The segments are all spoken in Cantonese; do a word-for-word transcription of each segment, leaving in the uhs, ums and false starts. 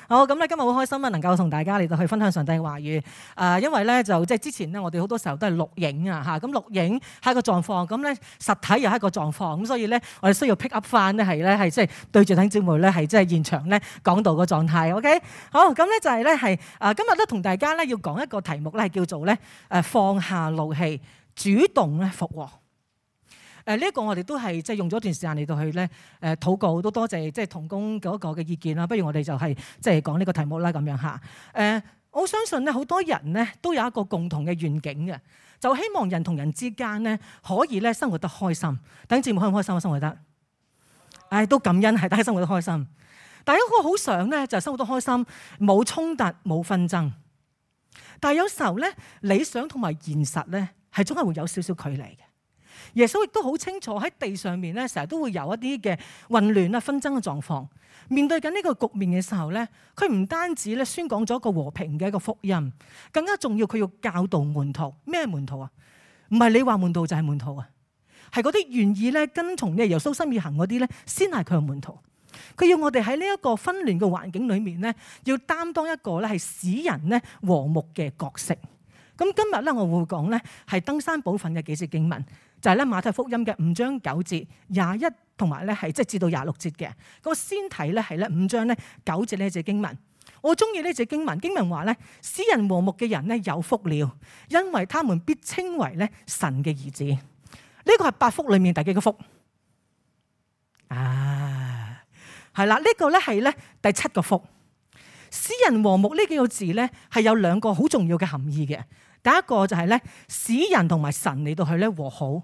好，咁咧今日好開心啊，能夠同大家嚟到去分享上帝嘅話語。誒、呃，因為咧就即係之前咧，我哋好多時候都係錄影啊，嚇咁錄影係一個狀況，咁咧實體又係一個狀況，咁所以咧我哋需要 pick up 翻咧係咧係即係對住弟兄姊妹咧係即係現場咧講道個狀態。OK， 好，咁咧就係咧係誒今日咧同大家咧要講一個題目咧係叫做咧誒放下怒氣，主動咧復和。誒呢一個我哋都係即係用咗一段時間嚟到去咧誒禱告，都多謝即係同工嗰個嘅意見啦。不如我哋就係即係講呢個題目啦咁樣嚇。誒我相信咧好多人咧都有一個共同嘅願景嘅，就希望人同人之間咧可以咧生活得開心。弟兄姊妹開唔開心啊？生活得，誒都感恩係大家生活得開心。但係一個好想咧就係生活得開心，冇衝突冇紛爭。但係有時候咧理想同埋現實咧係總係會有少少距離嘅。耶穌亦都好清楚喺地上面咧，成日都會有一啲嘅混亂啊、紛爭嘅狀況。面對緊呢個局面嘅時候咧，佢唔單止咧宣講咗一個和平嘅一個福音，更加重要佢要教導門徒。咩門徒啊？唔係你話門徒就係門徒啊，係嗰啲願意咧跟從耶穌心意行嗰啲咧，先係佢嘅門徒。佢要我哋喺呢一個紛亂嘅環境裏面咧，要擔當一個咧係使人咧和睦嘅角色。咁今日咧我會講咧係登山寶訓嘅幾節經文。就係咧馬太福音嘅五章九節廿一同埋咧係即係至到廿六節嘅。咁我先睇咧係咧五章咧九節呢隻經文。我中意呢隻經文，經文話咧使人和睦嘅人咧有福了，因為他們必稱為咧神嘅兒子。呢、這個係八福裏面第幾個福？啊，係啦，呢、這個咧係咧第七個福。使人和睦呢幾個字咧係有兩個好重要嘅含義嘅。第一個就係咧使人同埋神嚟到去咧和好。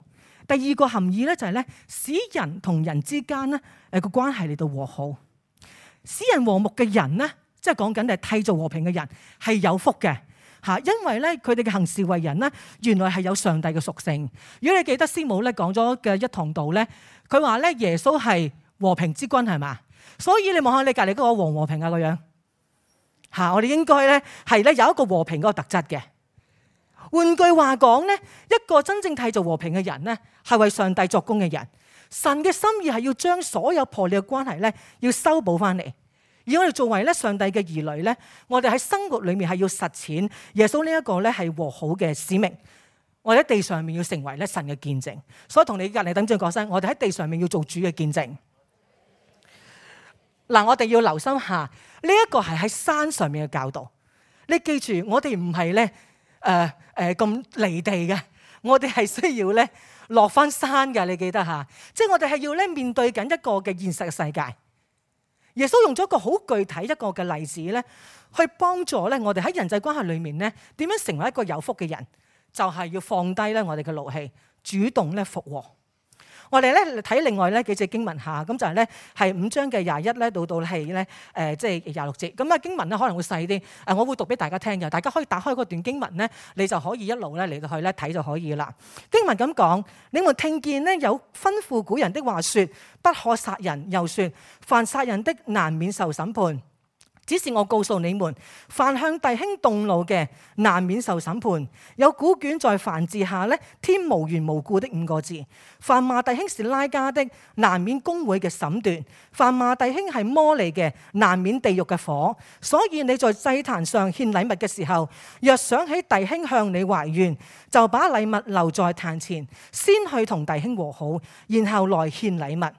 第二個含義咧就係咧使人同人之間咧誒個關係嚟到和好。使人和睦嘅人咧，即係講緊係締造和平嘅人係有福嘅嚇，因為咧佢哋嘅行事為人咧原來係有上帝嘅屬性。如果你記得師母咧講咗嘅一堂道咧，佢話咧耶穌係和平之君係嘛，所以你望下你隔離嗰個和唔和平啊個樣嚇，我哋應該咧係咧有一個和平嗰個特質嘅。換句話講咧，一個真正締造和平嘅人咧，係為上帝作工嘅人。神嘅心意係要將所有破裂嘅關係咧，要修補翻嚟。而我哋作為咧上帝嘅兒女咧，我哋喺生活裏面係要實踐耶穌呢一個咧係和好嘅使命。我哋喺地上面要成為咧神嘅見證。所以同你隔離等陣講聲，我哋喺地上面要做主嘅見證。嗱，我哋要留心下呢一個係喺山上面嘅教導。你記住，我哋唔係咧。誒誒咁離地嘅，我哋係需要咧落翻山嘅，你記得嚇？即係我哋係要咧面對緊一個嘅現實嘅世界。耶穌用咗一個好具體一個嘅例子咧，去幫助咧我哋喺人際關係裏面咧點樣成為一個有福嘅人，就係要放低咧我哋嘅怒氣，主動咧復和。我哋咧睇另外咧幾隻經文下，咁就係咧係五章嘅廿一咧到到係咧誒即係廿六節。咁啊經文咧可能會細啲，誒我會讀俾大家聽嘅，大家可以打開嗰段經文咧，你就可以一路咧嚟到去咧睇就可以啦。經文咁講，你們聽見咧有吩咐古人的話說，不可殺人，又說凡殺人的難免受審判。只是我告訴你們，凡向弟兄動怒嘅，難免受審判。有古卷在凡字下咧，添無緣無故的五個字。凡罵弟兄是拉加的，難免公會嘅審斷；凡罵弟兄係魔利嘅，難免地獄嘅火。所以你在祭壇上獻禮物嘅時候，若想起弟兄向你懷怨，就把禮物留在壇前，先去同弟兄和好，然後來獻禮物。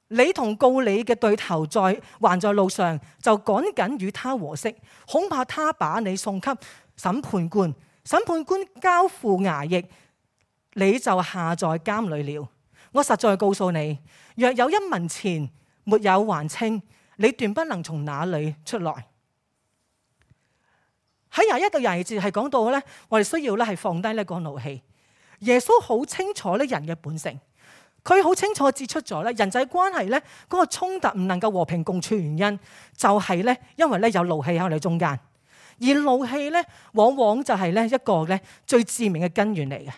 你同告你嘅對頭在還在路上，就趕緊與他和息，恐怕他把你送給審判官，審判官交付衙役，你就下在監裏了。我實在告訴你，若有一文錢沒有還清，你斷不能從那裏出來。喺廿一到廿二節係講到咧，我哋需要咧係放低呢個怒氣。耶穌好清楚咧人嘅本性。佢好清楚指出咗咧，人際關係咧嗰個衝突唔能夠和平共處，原因就係咧，因為咧有怒氣喺我哋中間，而怒氣咧往往就係咧一個咧最致命嘅根源嚟嘅。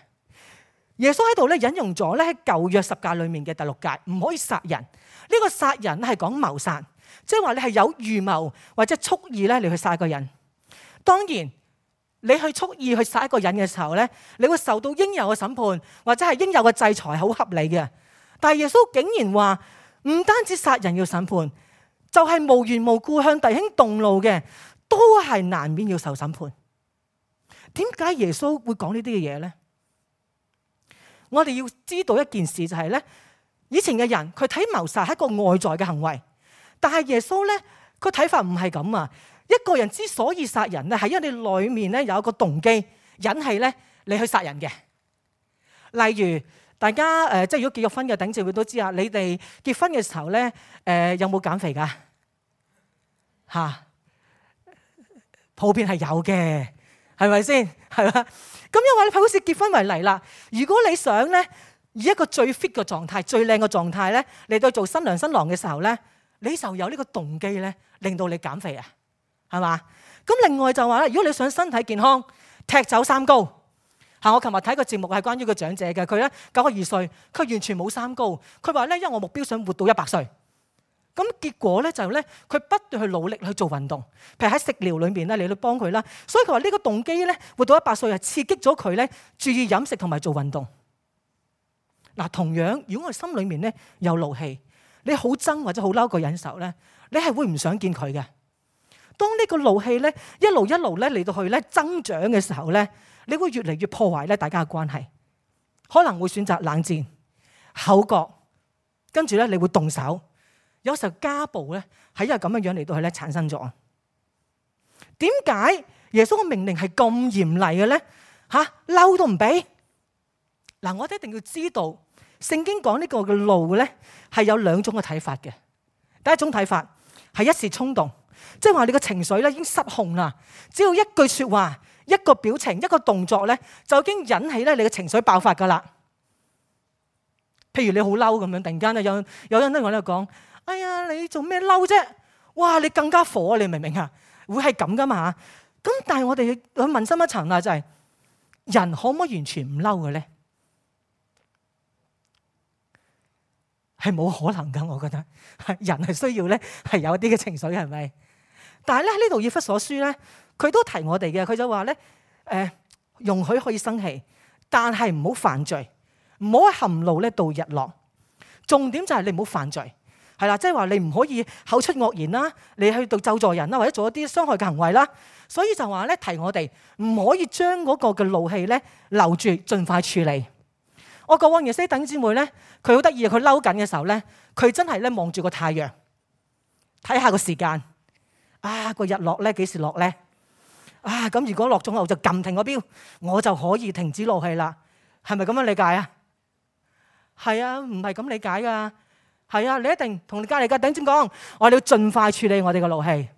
耶穌喺度咧引用咗咧喺舊約十誡裏面嘅第六誡，唔可以殺人。呢個殺人係講謀殺，即係話你係有預謀或者蓄意咧你去殺一個人。當然，你去蓄意去殺一個人嘅時候咧，你會受到應有嘅審判或者係應有嘅制裁，好合理嘅。但係耶穌竟然話唔單止殺人要審判，就係無緣無故向弟兄動怒嘅，都係難免要受審判。點解耶穌會講呢啲嘅嘢咧？我哋要知道一件事就係咧，以前嘅人佢睇謀殺係一個外在嘅行為，但係耶穌咧佢睇法唔係咁啊！一個人之所以殺人咧，係因為你裏面咧有一個動機引起咧你去殺人嘅。例如大家誒，即係如果結咗婚嘅頂姊妹都知啊，你哋結婚嘅時候咧誒，有冇減肥㗎？嚇，普遍係有嘅，係咪先？係嘛？咁因為你好似結婚為例啦，如果你想咧以一個最 fit 嘅狀態、最靚嘅狀態咧嚟到做新娘新郎嘅時候咧，你就有呢個動機咧，令到你減肥啊，係嘛？咁另外就話咧，如果你想身體健康，踢走三高嚇。我琴日睇個節目係關於個長者嘅，佢咧九十二歲，佢完全冇三高。佢話咧，因為我目標想活到一百歲。咁結果咧就咧，佢不斷去努力去做運動，譬如喺食療裏面咧，你去幫佢啦。所以佢話呢個動機咧，活到一百歲係刺激咗佢咧，注意飲食同埋做運動。嗱，同樣如果我哋心裏面咧有怒氣，你好憎或者好嬲個人嘅時候咧，你係會唔想見佢嘅。當呢個怒氣咧一路一路咧嚟到去咧增長嘅時候咧，你會越嚟越破壞咧大家嘅關係，可能會選擇冷戰、口角，跟住咧你會動手。有時候家暴咧係因為咁樣樣嚟到去咧產生咗。點解耶穌嘅命令係咁嚴厲嘅咧？吓，嬲都唔俾。嗱，我哋一定要知道聖經講呢個嘅怒咧係有兩種嘅睇法嘅。第一種睇法係一時衝動，即係話你嘅情緒咧已經失控啦，只要一句說話、一個表情、一個動作咧就已經引起咧你嘅情緒爆發噶啦。譬如你好嬲咁樣，突然間咧有有人咧我喺度講。哎呀，你做咩嬲啫？哇，你更加火，你明唔明啊？會係咁噶嘛？咁但係我哋去問深一層啦，就係人可唔可以完全唔嬲嘅咧？係冇可能噶，我覺得人係需要咧係有啲嘅情緒，係咪？但係咧喺呢度以弗所書咧，佢都提我哋嘅，佢就話咧誒，容許可以生氣，但係唔好犯罪，唔好含怒咧到日落。重點就係你唔好犯罪。係啦，即係話你唔可以口出惡言啦，你去到咒詛人啦，或者做一啲傷害嘅行為啦。所以就話咧提我哋唔可以將嗰個嘅怒氣咧留住，盡快處理。我過往認識啲弟兄姊妹咧，佢好得意，佢嬲緊嘅時候咧，佢真係咧望住個太陽，睇下個時間，啊個日落咧幾時落咧？啊咁如果落咗後就撳停個錶，我就可以停止怒氣啦。係咪咁樣理解啊？係啊，唔係咁理解噶。係啊，你一定同你隔離嘅弟兄講，我哋要盡快處理我哋嘅怒氣。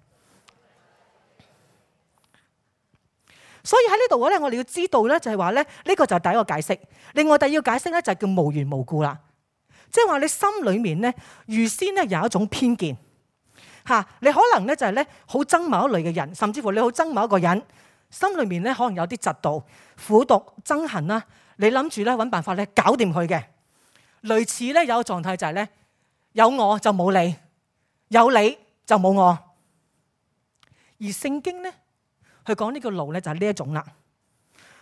所以喺呢度咧，我哋要知道咧，就係話咧，呢個就係第一個解釋。另外第二個解釋咧，就係叫無緣無故啦。即係話你心裏面咧，預先咧有一種偏見嚇，你可能咧就係咧好憎某一類嘅人，甚至乎你好憎某一個人，心裏面咧可能有啲嫉妒、苦毒、憎恨啦。你諗住咧揾辦法咧搞掂佢嘅，類似咧有個狀態就係咧。有我就冇你，有你就冇我。而聖經咧，佢講呢個怒咧就係呢一種啦。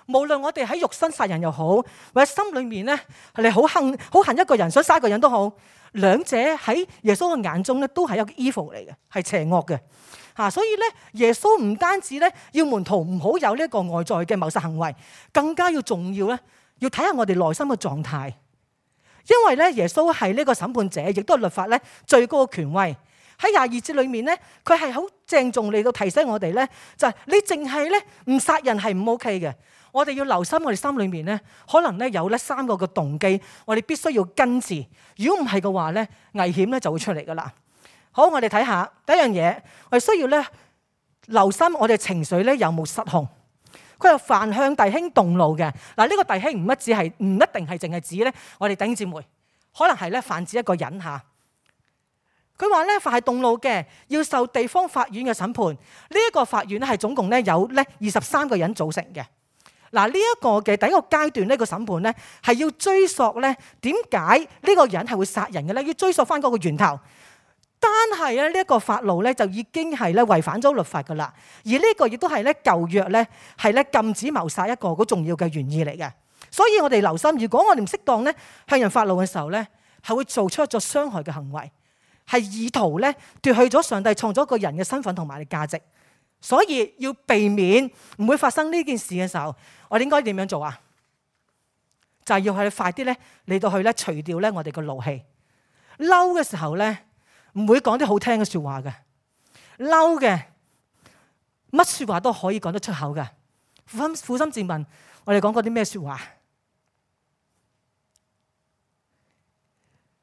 無論我哋喺肉身殺人又好，或者心裏面咧你好恨好恨一個人，想殺一個人都好，兩者喺耶穌嘅眼中咧都係一個 evil 嚟嘅，係邪惡嘅嚇。所以咧，耶穌唔單止咧要門徒唔好有呢一個外在嘅謀殺行為，更加要重要咧，要睇下我哋內心嘅狀態。因為咧，耶穌係呢個審判者，亦都係律法咧最高嘅權威。喺廿二節裏面咧，佢係好鄭重嚟到提醒我哋咧，就係你淨係咧唔殺人係唔 OK 嘅。我哋要留心我哋心裏面咧，可能咧有咧三個嘅動機，我哋必須要根治。如果唔係嘅話咧，危險咧就會出嚟噶啦。好，我哋睇下第一樣嘢，我哋需要咧留心我哋情緒咧有冇失控。佢話凡向弟兄動怒嘅，嗱，呢個弟兄唔一止係唔一定係淨係指咧我哋弟兄姊妹，可能係咧泛指一個人嚇。佢話咧凡係動怒嘅，要受地方法院嘅審判。呢一個法院咧係總共咧有咧二十三個人組成嘅。嗱，呢一個嘅第一個階段呢個審判咧係要追溯咧點解呢個人係會殺人嘅咧？要追溯翻嗰個源頭。單係咧呢一個法路咧就已經係咧違反咗律法噶啦，而呢個亦都係咧舊約咧係咧禁止謀殺一個好重要嘅原意嚟嘅。所以我哋留心，如果我哋唔適當咧向人發怒嘅時候咧，係會做出一種傷害嘅行為，係意圖咧奪去咗上帝創造一個人嘅身份同埋價值。所以要避免唔會發生呢件事嘅時候，我哋應該點樣做啊？就係要去快啲咧嚟到去咧除掉咧我哋個怒氣。嬲嘅時候咧唔會講啲好聽嘅説話嘅，嬲嘅乜説話都可以講得出口嘅。苦心苦心自問，我哋講過啲咩説話？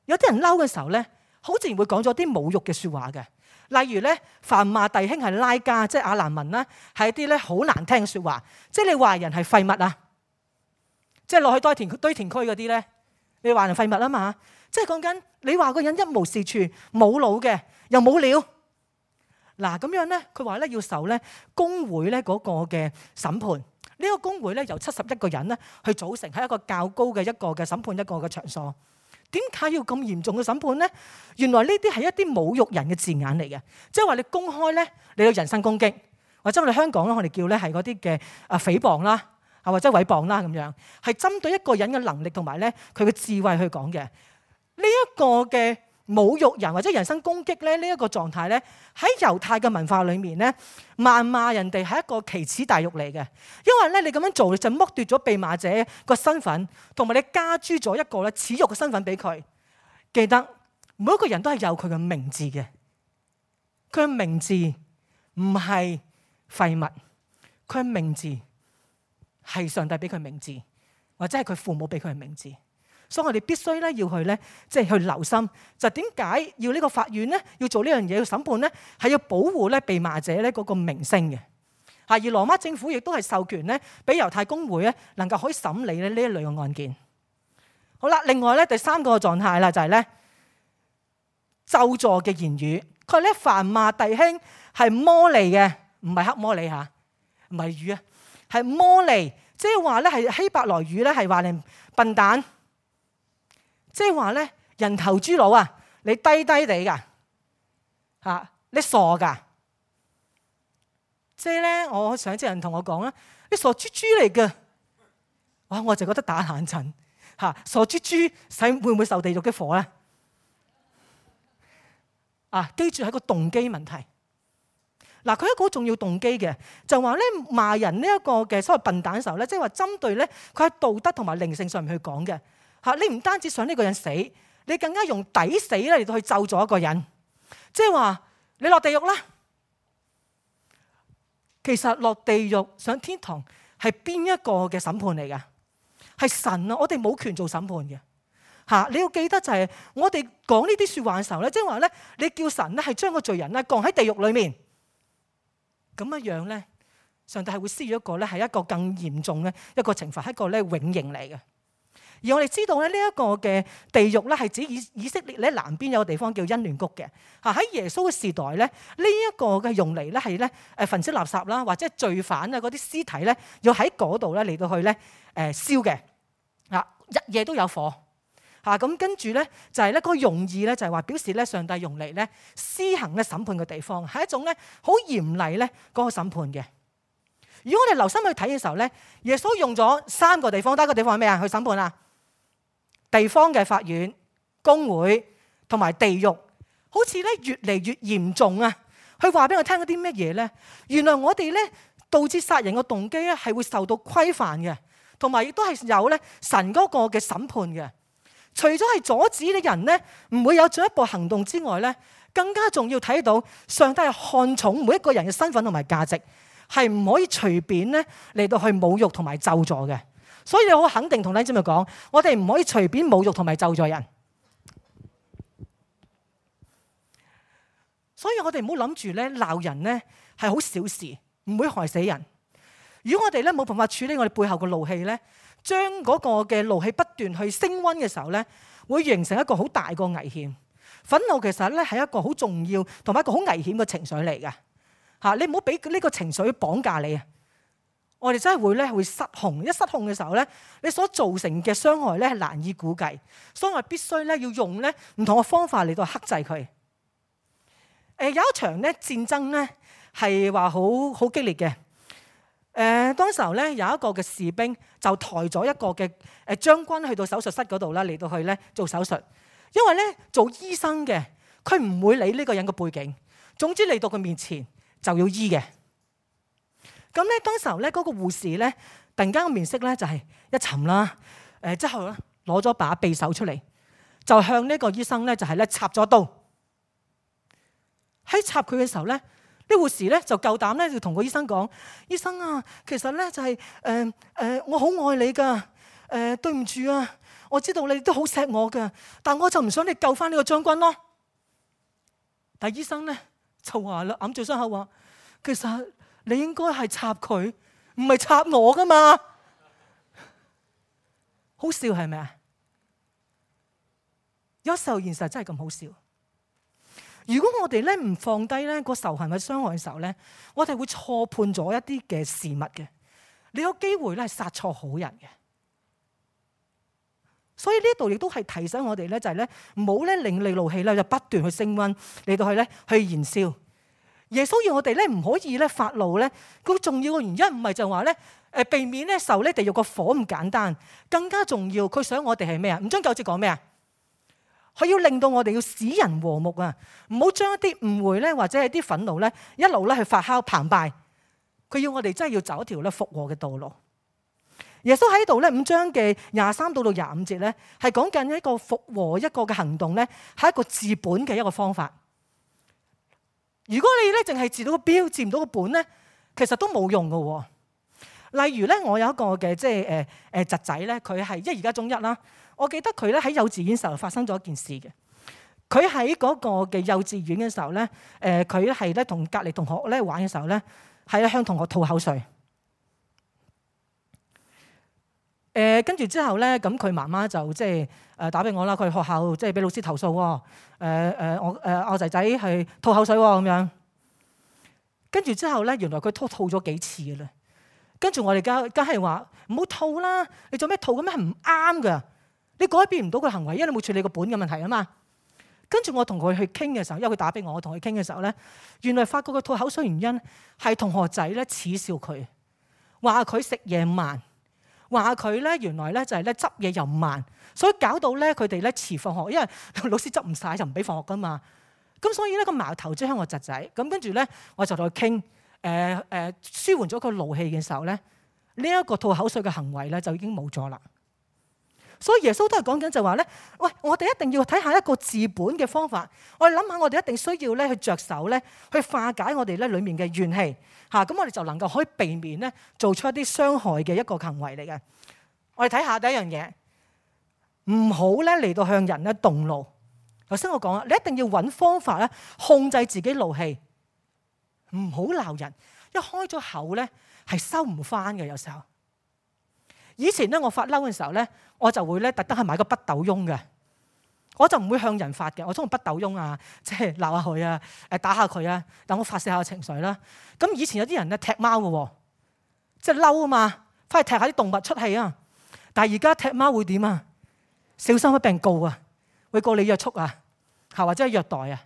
有啲人嬲嘅時候咧，好自然會講咗啲侮辱嘅説話嘅。例如咧，謾罵弟兄係拉加，即係亞蘭文啦，係一啲咧好難聽嘅説話。即係你話人係廢物啊，即係落去堆填堆填區嗰啲咧，你話人廢物啊嘛。即係講緊你話個人一無是處、冇腦嘅，又冇料。嗱咁樣咧，佢話咧要受咧公會咧嗰個嘅審判。呢個公會咧由七十一個人咧去組成，係一個較高嘅一個嘅審判一個嘅場所。點解要咁嚴重嘅審判咧？原來呢啲係一啲侮辱人嘅字眼嚟嘅，即係話你公開咧你有人身攻擊，或者我哋香港咧我哋叫咧係嗰啲嘅啊誹謗啦，啊或者毀謗啦咁樣，係針對一個人嘅能力同埋咧佢嘅智慧去講嘅。呢一個嘅侮辱人或者人身攻擊咧呢一個狀態咧喺猶太嘅文化裏面咧，謾罵人哋係一個奇恥大辱嚟嘅，因為咧你咁樣做你就剝奪咗被罵者個身份，同埋你加諸咗一個咧恥辱嘅身份俾佢。記得每一個人都係有佢嘅名字嘅，佢嘅名字唔係廢物，佢嘅名字係上帝俾佢名字，或者係佢父母俾佢嘅名字。所以我哋必須咧要去咧，即係去留心，就點解要呢個法院咧要做呢樣嘢，要審判咧，係要保護咧被罵者咧嗰個名聲嘅。而羅馬政府亦都係授權咧，俾猶太公會咧能夠可以審理咧呢一類嘅案件。好啦，另外咧第三個狀態啦，就係咧咒詛嘅言語。佢咧謾罵弟兄係魔利嘅，唔係黑魔利嚇，唔係魚啊，係魔利，即係話咧係希伯來語咧係話你笨蛋。即係話咧，人頭豬腦啊！你低低地噶嚇，你傻噶。即係咧，我上次人同我講啦，你傻豬豬嚟嘅。哇！我就覺得打冷震嚇，傻豬豬使會唔會受地獄嘅火咧？啊！記住係個動機問題。嗱，佢一個好重要動機嘅，就話咧罵人呢一個嘅所謂笨蛋嘅時候咧，即係話針對咧佢喺道德同埋靈性上面去講嘅。你唔單止想呢個人死，你更加用抵死咧嚟到去咒詛一個人，即係話你落地獄啦。其實落地獄上天堂係邊一個嘅審判嚟㗎？係神啊！我哋冇權做審判嘅嚇。你要記得就係我哋講呢啲説話嘅時候咧，即係話咧，你叫神咧係將個罪人咧降喺地獄裡面，咁樣樣咧，上帝係會施予一個咧係一個更嚴重嘅一個懲罰，係一個咧永刑嚟嘅。而我哋知道咧，呢一個嘅地獄咧係指以以色列咧南邊有個地方叫欣嫩谷嘅嚇。喺耶穌嘅時代咧，呢一個嘅用嚟咧係咧誒焚燒垃圾啦，或者罪犯啊嗰啲屍體咧要喺嗰度咧嚟到去咧誒燒嘅嚇，日夜都有火嚇。咁跟住咧就係咧嗰個用意咧就係話表示咧上帝用嚟咧施行咧審判嘅地方，係一種咧好嚴厲咧嗰個審判嘅。如果我哋留心去睇嘅時候咧，耶穌用咗三個地方，第一個地方係咩啊？去審判啊！地方嘅法院、公會同埋地獄，好似咧越嚟越嚴重啊！佢話俾我聽嗰啲乜嘢咧？原來我哋咧導致殺人嘅動機咧係會受到規範嘅，同埋亦都係有咧神嗰個嘅審判嘅。除咗係阻止啲人咧唔會有進一步行動之外咧，更加重要睇到上帝係看重每一個人嘅身份同埋價值，係唔可以隨便咧嚟到去侮辱同埋咒詛嘅。所以我好肯定同弟兄姊妹講，我哋唔可以隨便侮辱同埋咒詛人。所以我哋唔好諗住咧鬧人咧係好小事，唔會害死人。如果我哋咧冇辦法處理我哋背後嘅怒氣咧，將嗰個嘅怒氣不斷去升溫嘅時候咧，會形成一個好大個危險。憤怒其實咧係一個好重要同埋一個好危險嘅情緒嚟㗎嚇。你唔好俾呢個情緒綁架你啊！我哋真係會咧會失控，一失控嘅時候咧，你所造成嘅傷害咧係難以估計，所以我必須咧要用咧唔同嘅方法嚟到克制佢。誒有一場咧戰爭咧係話好好激烈嘅。誒當時候咧有一個嘅士兵就抬咗一個嘅誒將軍去到手術室嗰度啦，嚟到去咧做手術。因為咧做醫生嘅佢唔會理呢個人嘅背景，總之嚟到佢面前就要醫嘅。咁咧當時候咧嗰個護士咧突然間個面色咧就係一沉啦，誒之後咧攞咗把匕首出嚟，就向呢個醫生咧就係咧插咗刀。喺插佢嘅時候咧，呢護士咧就夠膽咧就同個醫生講：醫生啊，其實咧就係誒誒我好愛你噶，誒、呃、對唔住啊，我知道你都好錫我噶，但我就唔想你救翻呢個將軍咯。但醫生咧就話啦，揞住傷口話：其實你應該係插佢，唔係插我噶嘛。好笑係咪啊？有時候現實真係咁好笑。如果我哋咧唔放低咧個仇恨嘅傷害嘅時候咧，我哋會錯判咗一啲嘅事物嘅。你有機會咧係殺錯好人嘅。所以呢度亦都係提醒我哋咧，就係咧唔好咧令你怒氣咧就不斷去升溫嚟到去咧去燃燒。耶穌要我哋咧唔可以咧發怒咧，咁重要嘅原因唔係就話咧誒避免咧受咧地獄個火咁簡單，更加重要佢想我哋係咩啊？五章九節講咩啊？佢要令到我哋要使人和睦啊！唔好將一啲誤會咧，或者係啲憤怒咧，一路咧去發酵澎湃。佢要我哋真係要走一條咧復和嘅道路。耶穌喺度咧五章嘅廿三到到廿五節咧，係講緊一個復和一個嘅行動咧，係一個治本嘅一個方法。如果你咧淨係治到個標，治唔到個本咧，其實都冇用㗎。例如咧，我有一個嘅即係誒誒侄仔咧，佢係即係而家中一啦。我記得佢咧喺幼稚園時候發生咗一件事嘅。佢喺嗰個嘅幼稚園嘅時候咧，誒佢係咧同隔離同學咧玩嘅時候咧，係向同學吐口水。誒跟住之後咧，咁佢媽媽就即係誒打俾我啦。佢學校即係俾老師投訴喎。誒誒我誒我仔仔係吐口水喎咁樣。跟住之後咧，原來佢吐吐咗幾次嘅啦。跟住我哋梗梗係話唔好吐啦，你做咩吐咁樣係唔啱㗎。你改變唔到佢行為，因為你冇處理個本嘅問題啊嘛。跟住我同佢去傾嘅時候，因為佢打俾我，我同佢傾嘅時候咧，原來發覺佢吐口水原因係同學仔咧恥笑佢，話佢食嘢慢，話佢咧原來咧就係咧執嘢又慢，所以搞到咧佢哋咧遲放學，因為老師執唔晒就唔俾放學噶嘛。咁所以咧個矛頭即係我侄仔。咁跟住咧我就同佢傾，誒、呃、誒、呃、舒緩咗佢怒氣嘅時候咧，呢、這、一個吐口水嘅行為咧就已經冇咗啦。所以耶穌都係講緊就話咧，喂，我哋一定要睇下一個治本嘅方法。我哋諗下，我哋一定需要咧去着手咧，去化解我哋咧裡面嘅怨氣嚇。咁我哋就能夠可以避免咧做出一啲傷害嘅一個行為嚟嘅。我哋睇下第一樣嘢，唔好咧嚟到向人咧動怒。頭先我講啦，你一定要揾方法咧控制自己怒氣，唔好鬧人。一開咗口咧係收唔翻嘅，有時候。以前咧我發嬲嘅時候咧，我就會咧特登去買個筆斗翁嘅，我就唔會向人發嘅。我中意筆斗翁啊，即係鬧下佢啊，誒打下佢啊，等我發泄下情緒啦。咁以前有啲人咧踢貓嘅喎，即係嬲啊嘛，翻去踢下啲動物出氣啊。但係而家踢貓會點啊？小心俾人告啊，會告你約束啊，嚇或者係虐待啊，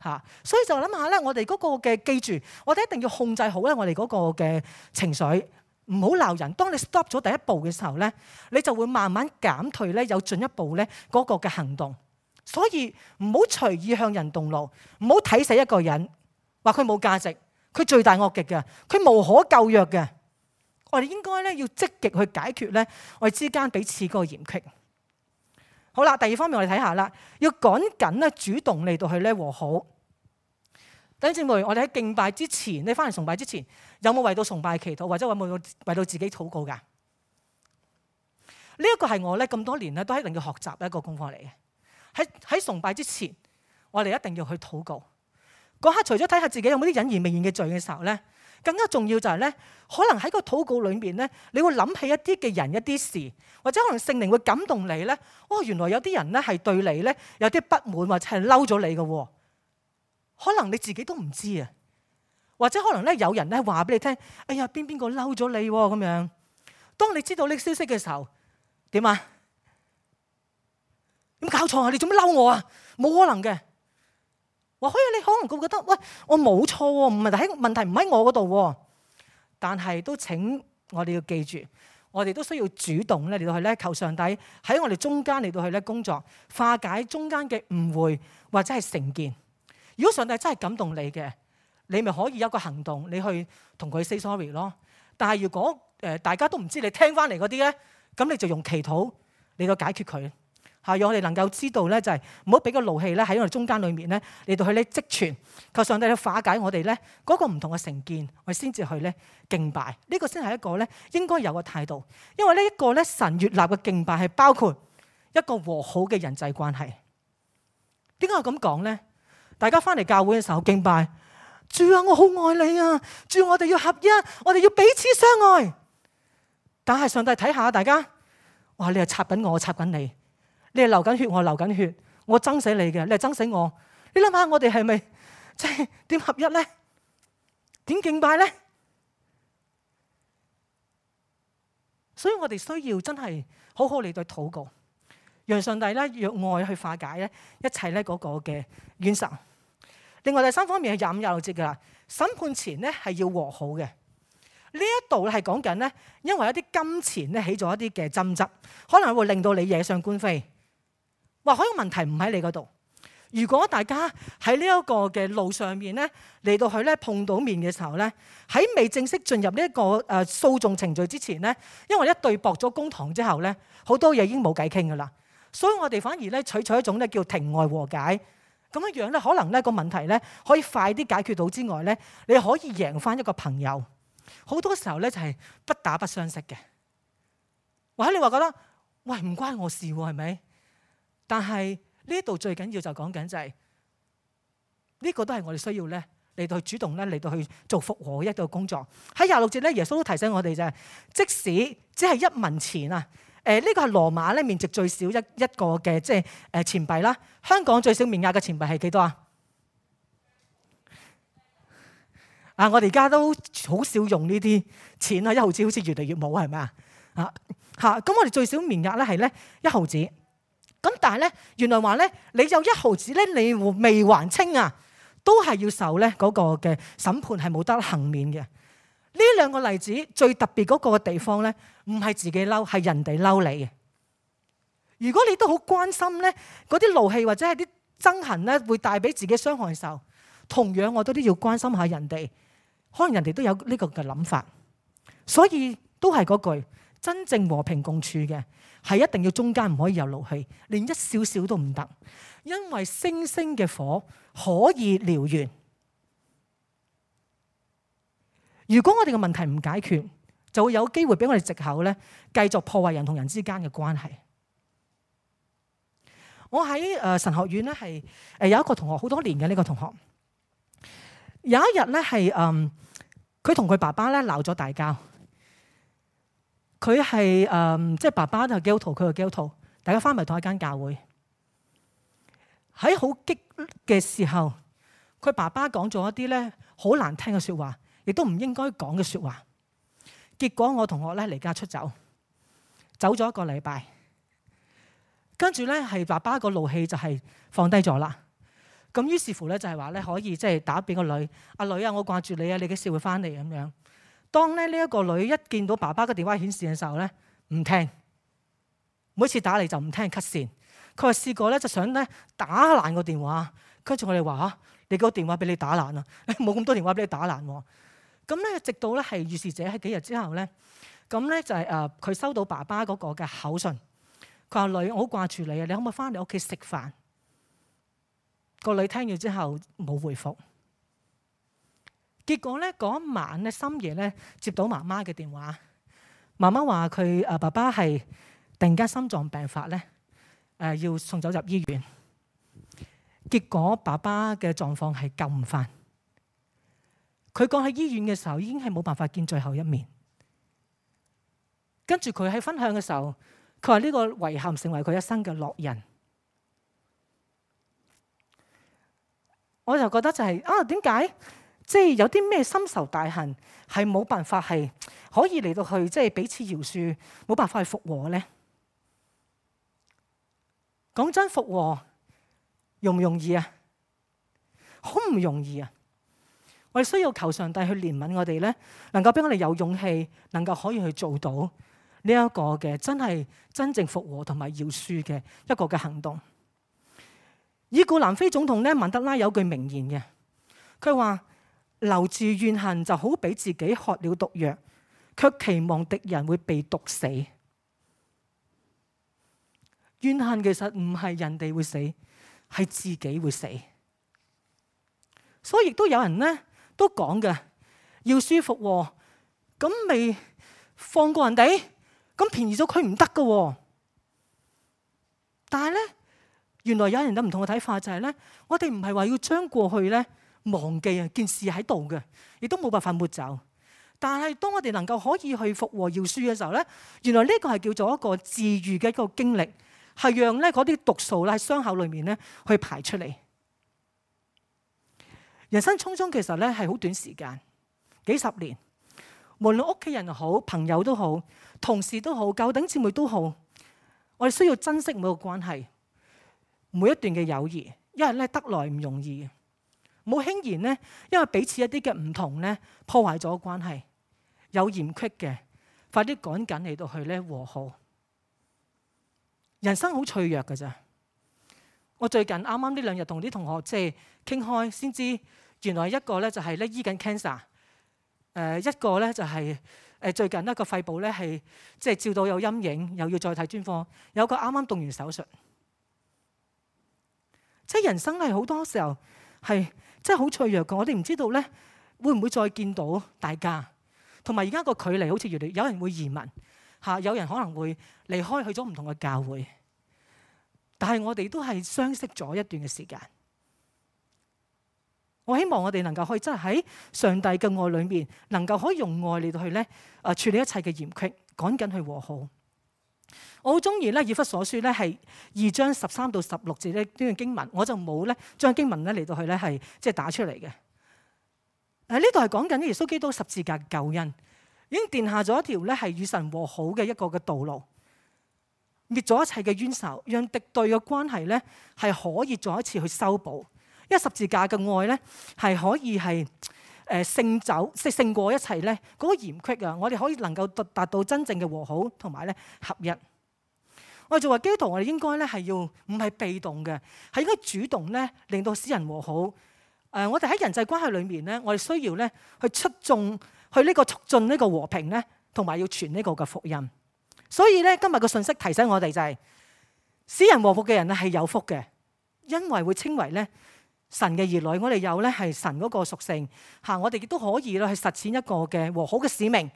嚇。所以就諗下咧，我哋嗰個嘅記住，我哋一定要控制好咧，我哋嗰個嘅情緒。唔好鬧人。當你 stop 咗第一步嘅時候咧，你就會慢慢減退咧，有進一步咧嗰個嘅行動。所以唔好隨意向人動怒，唔好睇死一個人，話佢冇價值，佢罪大惡極嘅，佢無可救藥嘅。我哋應該咧要積極去解決咧我哋之間彼此嗰個嫌隙。好啦，第二方面我哋睇下啦，要趕緊咧主動嚟到去咧和好。弟兄姊妹，我哋喺敬拜之前，你翻嚟崇拜之前，有冇為到崇拜祈禱，或者有冇為到自己禱告㗎？呢、這、一個係我咧咁多年咧都一定要學習嘅一個功課嚟嘅。喺喺崇拜之前，我哋一定要去禱告。嗰刻除咗睇下自己有冇啲隱而未現嘅罪嘅時候咧，更加重要就係咧，可能喺個禱告裏面咧，你會諗起一啲嘅人、一啲事，或者可能聖靈會感動你咧。哦，原來有啲人咧係對你咧有啲不滿，或者係嬲咗你嘅喎。可能你自己都唔知啊，或者可能咧有人咧話俾你聽，哎呀邊邊個嬲咗你咁樣。當你知道呢個消息嘅時候，點啊？點搞錯啊？你做乜嬲我啊？冇可能嘅。或許你可能會覺得，喂，我冇錯喎，唔係喺問題唔喺我嗰度喎。但係都請我哋要記住，我哋都需要主動咧嚟到去咧求上帝喺我哋中間嚟到去咧工作，化解中間嘅誤會，或者係成見。如果上帝真係感動你嘅，你咪可以有一個行動，你去同佢 say sorry 咯。但係如果誒、呃、大家都唔知你聽翻嚟嗰啲咧，咁你就用祈禱嚟到解決佢嚇，讓我哋能夠知道咧，就係唔好俾個怒氣咧喺我哋中間裏面咧嚟到去咧積存，求上帝去化解我哋咧嗰個唔同嘅成見，我哋先至去咧敬拜。呢個先係一個咧應該有嘅態度，因為呢一個咧神悅納嘅敬拜係包括一個和好嘅人際關係。點解我咁講咧？大家翻嚟教會嘅時候敬拜，主啊，我好愛你啊！主，我哋要合一，我哋要彼此相愛。但係上帝睇下大家，哇！你係插緊我，我插緊你，你係流緊血，我流緊血，我憎死你嘅，你係憎死我。你諗下，我哋係咪即係點合一咧？點敬拜咧？所以我哋需要真係好好嚟對禱告，讓上帝咧用愛去化解咧一切咧嗰個嘅冤仇。另外第三方面係廿五廿六節噶啦，審判前咧係要和好嘅。呢一度咧係講緊咧，因為一啲金錢咧起咗一啲嘅爭執，可能會令到你惹上官非。或許個問題唔喺你嗰度。如果大家喺呢一個嘅路上面咧嚟到去咧碰到面嘅時候咧，喺未正式進入呢一個誒訴訟程序之前咧，因為一對駁咗公堂之後咧，好多嘢已經冇偈傾噶啦，所以我哋反而咧採取一種咧叫庭外和解。咁樣樣咧，可能咧個問題咧可以快啲解決到之外咧，你可以贏翻一個朋友。好多時候咧就係不打不相識嘅。或者你話覺得喂唔關我事喎，係咪？但係呢度最緊要就講緊就係呢個都係我哋需要咧嚟到去主動咧嚟到去做復和嘅一個工作。喺廿六節咧，耶穌都提醒我哋就係，即使只係一文錢啊。誒、這、呢個係羅馬咧面值最少一一個嘅即係誒錢幣啦。香港最少面額嘅錢幣係幾多啊？啊！我哋而家都好少用呢啲錢啊，一毫紙好似越嚟越冇，係咪啊？啊嚇！咁我哋最少面額咧係咧一毫紙。咁但係咧，原來話咧，你有一毫紙咧，你未還清啊，都係要受咧嗰個嘅審判，係冇得幸免嘅。呢兩個例子最特別嗰個地方咧，唔係自己嬲，係人哋嬲你嘅。如果你都好關心咧，嗰啲怒氣或者係啲憎恨咧，會帶俾自己傷害嘅時候，同樣我都都要關心下人哋，可能人哋都有呢個嘅諗法。所以都係嗰句，真正和平共處嘅係一定要中間唔可以有怒氣，連一少少都唔得，因為星星嘅火可以燎原。如果我哋嘅問題唔解決，就會有機會俾我哋藉口咧，繼續破壞人同人之間嘅關係。我喺誒神學院咧係誒有一個同學好多年嘅呢個同學，有一日咧係誒佢同佢爸爸咧鬧咗大交。佢係誒即係爸爸就係基督徒，佢係基督徒，大家翻埋同一間教會。喺好激嘅時候，佢爸爸講咗一啲咧好難聽嘅説話，亦都唔應該講嘅説話。結果我同學咧離家出走，走咗一個禮拜，跟住咧係爸爸個怒氣就係放低咗啦。咁於是乎咧就係話咧可以即係打俾個女，阿女啊，我掛住你啊，你幾時會翻嚟咁樣。當咧呢一個女一見到爸爸嘅電話顯示嘅時候咧，唔聽，每次打嚟就唔聽 cut 線。佢話試過咧就想咧打爛個電話，跟住我哋話嚇，你個電話俾你打爛啊，冇咁多電話俾你打爛喎。咁咧直到咧係預示者喺幾日之後咧，咁咧就係誒佢收到爸爸嗰個嘅口信，佢話女，我好掛住你啊，你可唔可以翻嚟屋企食飯？個女聽完之後冇回覆。結果咧嗰一晚咧深夜咧接到媽媽嘅電話，媽媽話佢誒爸爸係突然間心臟病發咧，誒要送走入醫院。結果爸爸嘅狀況係救唔翻。佢講喺醫院嘅時候已經係冇辦法見最後一面。跟住佢喺分享嘅時候，佢話呢個遺憾成為佢一生嘅烙印。我就覺得就係、是、啊，點解即係有啲咩深仇大恨係冇辦法係可以嚟到去即係彼此饒恕，冇辦法去復和咧？講真，復和容唔容易啊？好唔容易啊！我哋需要求上帝去憐憫我哋咧，能夠俾我哋有勇氣，能夠可以去做到呢一個嘅真係真正復和同埋饒恕嘅一個嘅行動。已故南非總統咧曼德拉有句名言嘅，佢話留住怨恨就好比自己喝了毒藥，卻期望敵人會被毒死。怨恨其實唔係人哋會死，係自己會死。所以亦都有人咧都講嘅，要舒服喎，咁未放過人哋，咁便宜咗佢唔得㗎。但係咧，原來有人有唔同嘅睇法，就係咧，我哋唔係話要將過去咧忘記啊，件事喺度嘅，亦都冇辦法抹走。但係當我哋能夠可以去復和饒恕嘅時候咧，原來呢個係叫做一個治癒嘅一個經歷，係讓咧嗰啲毒素咧喺傷口裏面咧去排出嚟。人生匆匆其實咧係好短時間，幾十年，無論屋企人又好，朋友都好，同事都好，舊頂姊妹都好，我哋需要珍惜每個關係，每一段嘅友誼，因為咧得來唔容易，冇輕言咧，因為彼此一啲嘅唔同咧破壞咗關係，有嫌隙嘅，快啲趕緊嚟到去咧和好。人生好脆弱㗎咋。我最近啱啱呢兩日同啲同學即係傾開，先知原來一個咧就係咧醫緊 cancer， 誒一個咧就係誒最近一個肺部咧係即係照到有陰影，又要再睇專科，有個啱啱動完手術。即係人生係好多時候係即係好脆弱嘅，我哋唔知道咧會唔會再見到大家，同埋而家個距離好似越嚟，有人會移民嚇，有人可能會離開去咗唔同嘅教會。但係我哋都係相識咗一段嘅時間，我希望我哋能夠可以真係喺上帝嘅愛裏面，能夠可以用愛嚟到去咧誒處理一切嘅嫌隙，趕緊去和好。我好中意咧以弗所書咧係二章十三到十六節呢段經文，我就冇咧將經文咧嚟到去咧係即係打出嚟嘅。誒呢度係講緊耶穌基督十字架嘅救恩，已經奠下咗一條咧係與神和好嘅一個嘅道路。滅咗一切嘅冤仇，讓敵對嘅關係咧係可以再一次去修補。因為十字架嘅愛咧係可以係誒勝走，即係勝過一切咧嗰個嫌隙啊！我哋可以能夠達達到真正嘅和好同埋咧合一。我哋作為基督徒，我哋應該咧係要唔係被動嘅，係應該主動咧令到使人和好。誒，我哋喺人際關係裏面咧，我哋需要咧去出眾去呢個促進呢個和平咧，同埋要傳呢個嘅福音。所以咧，今日個信息提醒我哋就係、是，使人和睦嘅人咧係有福嘅，因為會稱為咧神嘅兒女。我哋有咧係神嗰個屬性嚇，我哋亦都可以咧去實踐一個嘅和好嘅使命。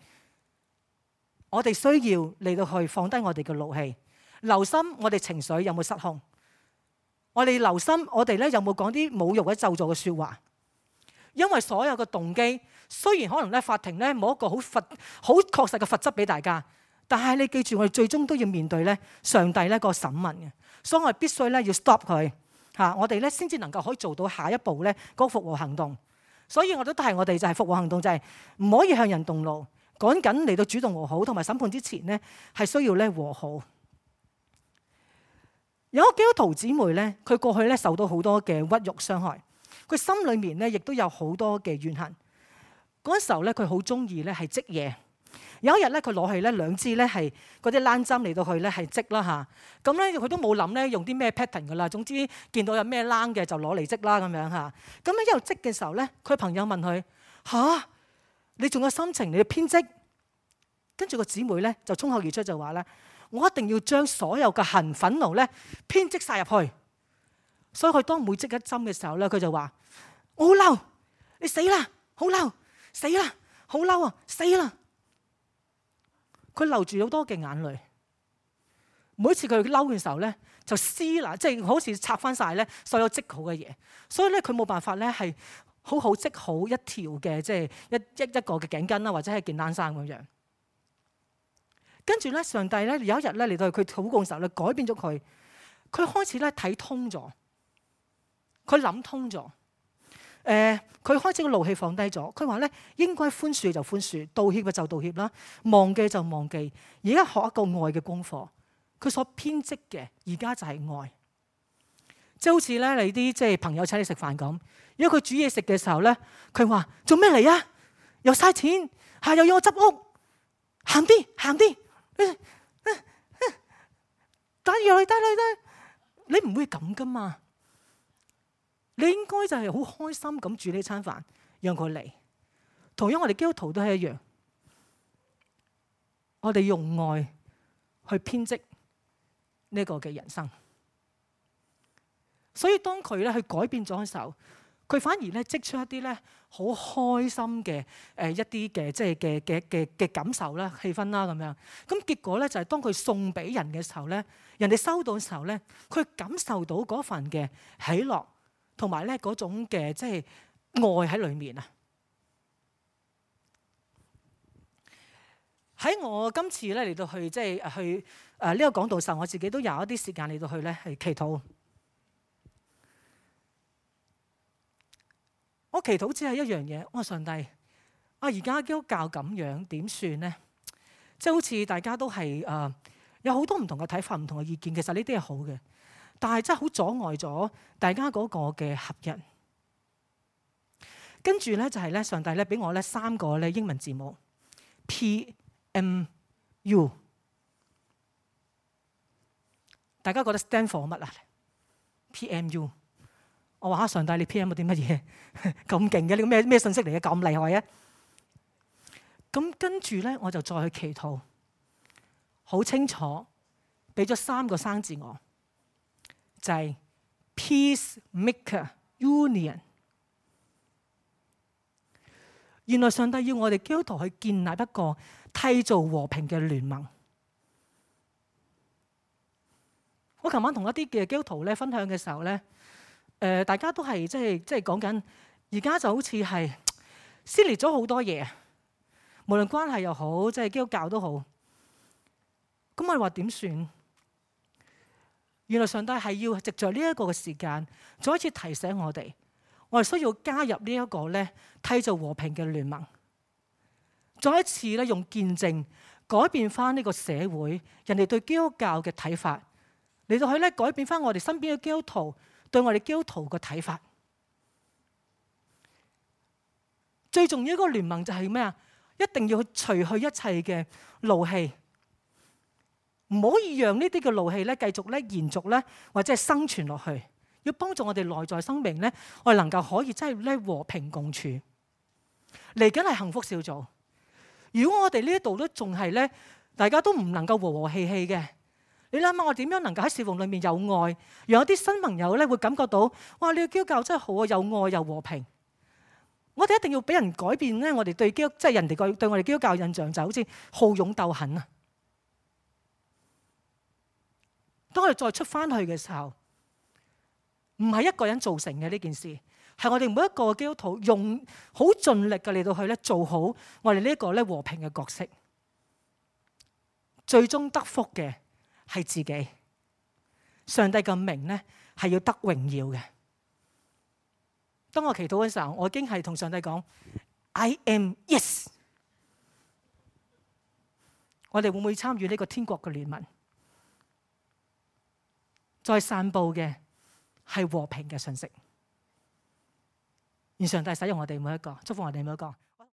我哋需要嚟到去放低我哋嘅怒氣，留心我哋情緒有冇失控。我哋留心我哋咧有冇講啲侮辱或者咒詛嘅説話。因為所有嘅動機，雖然可能咧法庭咧冇一個好罰好確實嘅罰則俾大家。但係你記住，我哋最終都要面對咧上帝咧個審問嘅，所以我哋必須咧要 stop 佢嚇，我哋咧先至能夠可以做到下一步咧嗰個復和行動。所以我都提我哋就係復和行動就係唔可以向人動怒，趕緊嚟到主動和好，同埋審判之前咧係需要咧和好。有一個基督徒姊妹咧，佢過去咧受到好多嘅屈辱傷害，佢心裏面咧亦都有好多嘅怨恨。嗰時候咧，佢好中意咧係織嘢。有一日咧，佢攞去咧兩支咧係嗰啲冷針嚟到去咧係織啦嚇，咁咧佢都冇諗咧用啲咩 pattern 噶啦，總之見到有咩冷嘅就攞嚟織啦咁樣嚇。咁咧一路織嘅時候咧，佢朋友問佢：吓，你仲有心情你去編織？跟住個姊妹咧就衝口而出就話咧：我一定要將所有嘅恨憤怒咧編織晒入去。所以佢當每織一針嘅時候咧，佢就話：我好嬲，你死啦！好嬲，死啦！好嬲啊，死啦！佢流住好多嘅眼淚，每一次佢嬲嘅時候咧，就撕啦，即係好似拆翻晒咧所有織好嘅嘢，所以咧佢冇辦法咧係好好織好一條嘅即係一一一個嘅頸巾啦，或者係件冷衫咁樣。跟住咧，上帝咧有一日咧嚟到佢禱告嘅時候咧，改變咗佢，佢開始咧睇通咗，佢諗通咗。誒，佢、呃、開始個怒氣放低咗。佢話咧，應該寬恕就寬恕，道歉嘅就道歉啦，忘記就忘記。而家學一個愛嘅功課，佢所編織嘅而家就係愛。即係好似咧，你啲即係朋友請你食飯咁，如果佢煮嘢食嘅時候咧，佢話做咩嚟啊？又嘥錢嚇，又要我執屋，行啲行啲，帶入去帶落去，你唔會咁噶嘛？你應該就係好開心咁煮呢餐飯，讓佢嚟。同樣我哋基督徒都係一樣，我哋用愛去編織呢個嘅人生。所以當佢咧去改變咗嘅時候，佢反而咧積出一啲咧好開心嘅誒一啲嘅即係嘅嘅嘅嘅感受啦、氣氛啦咁樣。咁結果咧就係當佢送俾人嘅時候咧，人哋收到嘅時候咧，佢感受到嗰份嘅喜樂同埋咧嗰種嘅即係愛喺裏面啊！喺我今次咧嚟到去即係去誒呢個講道時候，我自己都有一啲時間嚟到去咧係祈禱。我祈禱只係一樣嘢，我話上帝，啊而家基督教咁樣點算呢？即係好似大家都係誒、呃、有好多唔同嘅睇法、唔同嘅意見，其實呢啲係好嘅，但係真係好阻礙咗大家嗰個嘅合一。跟住咧就係咧，上帝咧俾我咧三個咧英文字母 P M U， 大家覺得 stand for 乜啊 ？P M U。我話下上帝，你 P M 咗啲乜嘢咁勁嘅？你個咩咩信息嚟嘅？咁厲害啊！咁跟住咧，我就再去祈禱，好清楚，俾咗三個生字我，就係 Peacemaker Union。原來上帝要我哋基督徒去建立一個締造和平嘅聯盟。我琴晚同一啲嘅基督徒咧分享嘅時候咧。誒、呃，大家都係即係即係講緊，而家就好似係撕裂咗好多嘢，無論關係又好，即係基督教都好。咁我哋話點算？原來上帝係要藉着呢一個嘅時間，再一次提醒我哋，我哋需要加入呢一個咧締造和平嘅聯盟，再一次咧用見證改變翻呢個社會人哋對基督教嘅睇法，嚟到去咧改變翻我哋身邊嘅基督徒對我哋基督徒嘅睇法。最重要一個聯盟就係咩啊？一定要去除去一切嘅怒氣，唔可以讓呢啲嘅怒氣咧繼續咧延續咧，或者係生存落去。要幫助我哋內在生命咧，我哋能夠可以真係咧和平共處。嚟緊係幸福小組。如果我哋呢一度都仲係咧，大家都唔能夠和和氣氣嘅。你諗下，我點樣能夠喺侍奉裏面有愛，讓有啲新朋友咧會感覺到，哇！你嘅基督教真係好啊，有愛又和平。我哋一定要俾人改變咧，我哋對基督即係人哋個對我哋基督教印象就好似好勇鬥狠啊。當我哋再出翻去嘅時候，唔係一個人造成嘅呢件事，係我哋每一個基督徒用好盡力嘅嚟到去咧做好我哋呢一個咧和平嘅角色，最終得福嘅係自己，上帝嘅名咧係要得榮耀嘅。當我祈禱嘅時候，我已經係同上帝講 I am yes。我哋會唔會參與呢個天國嘅聯盟？再散佈嘅係和平嘅信息。願上帝使用我哋每一個，祝福我哋每一個。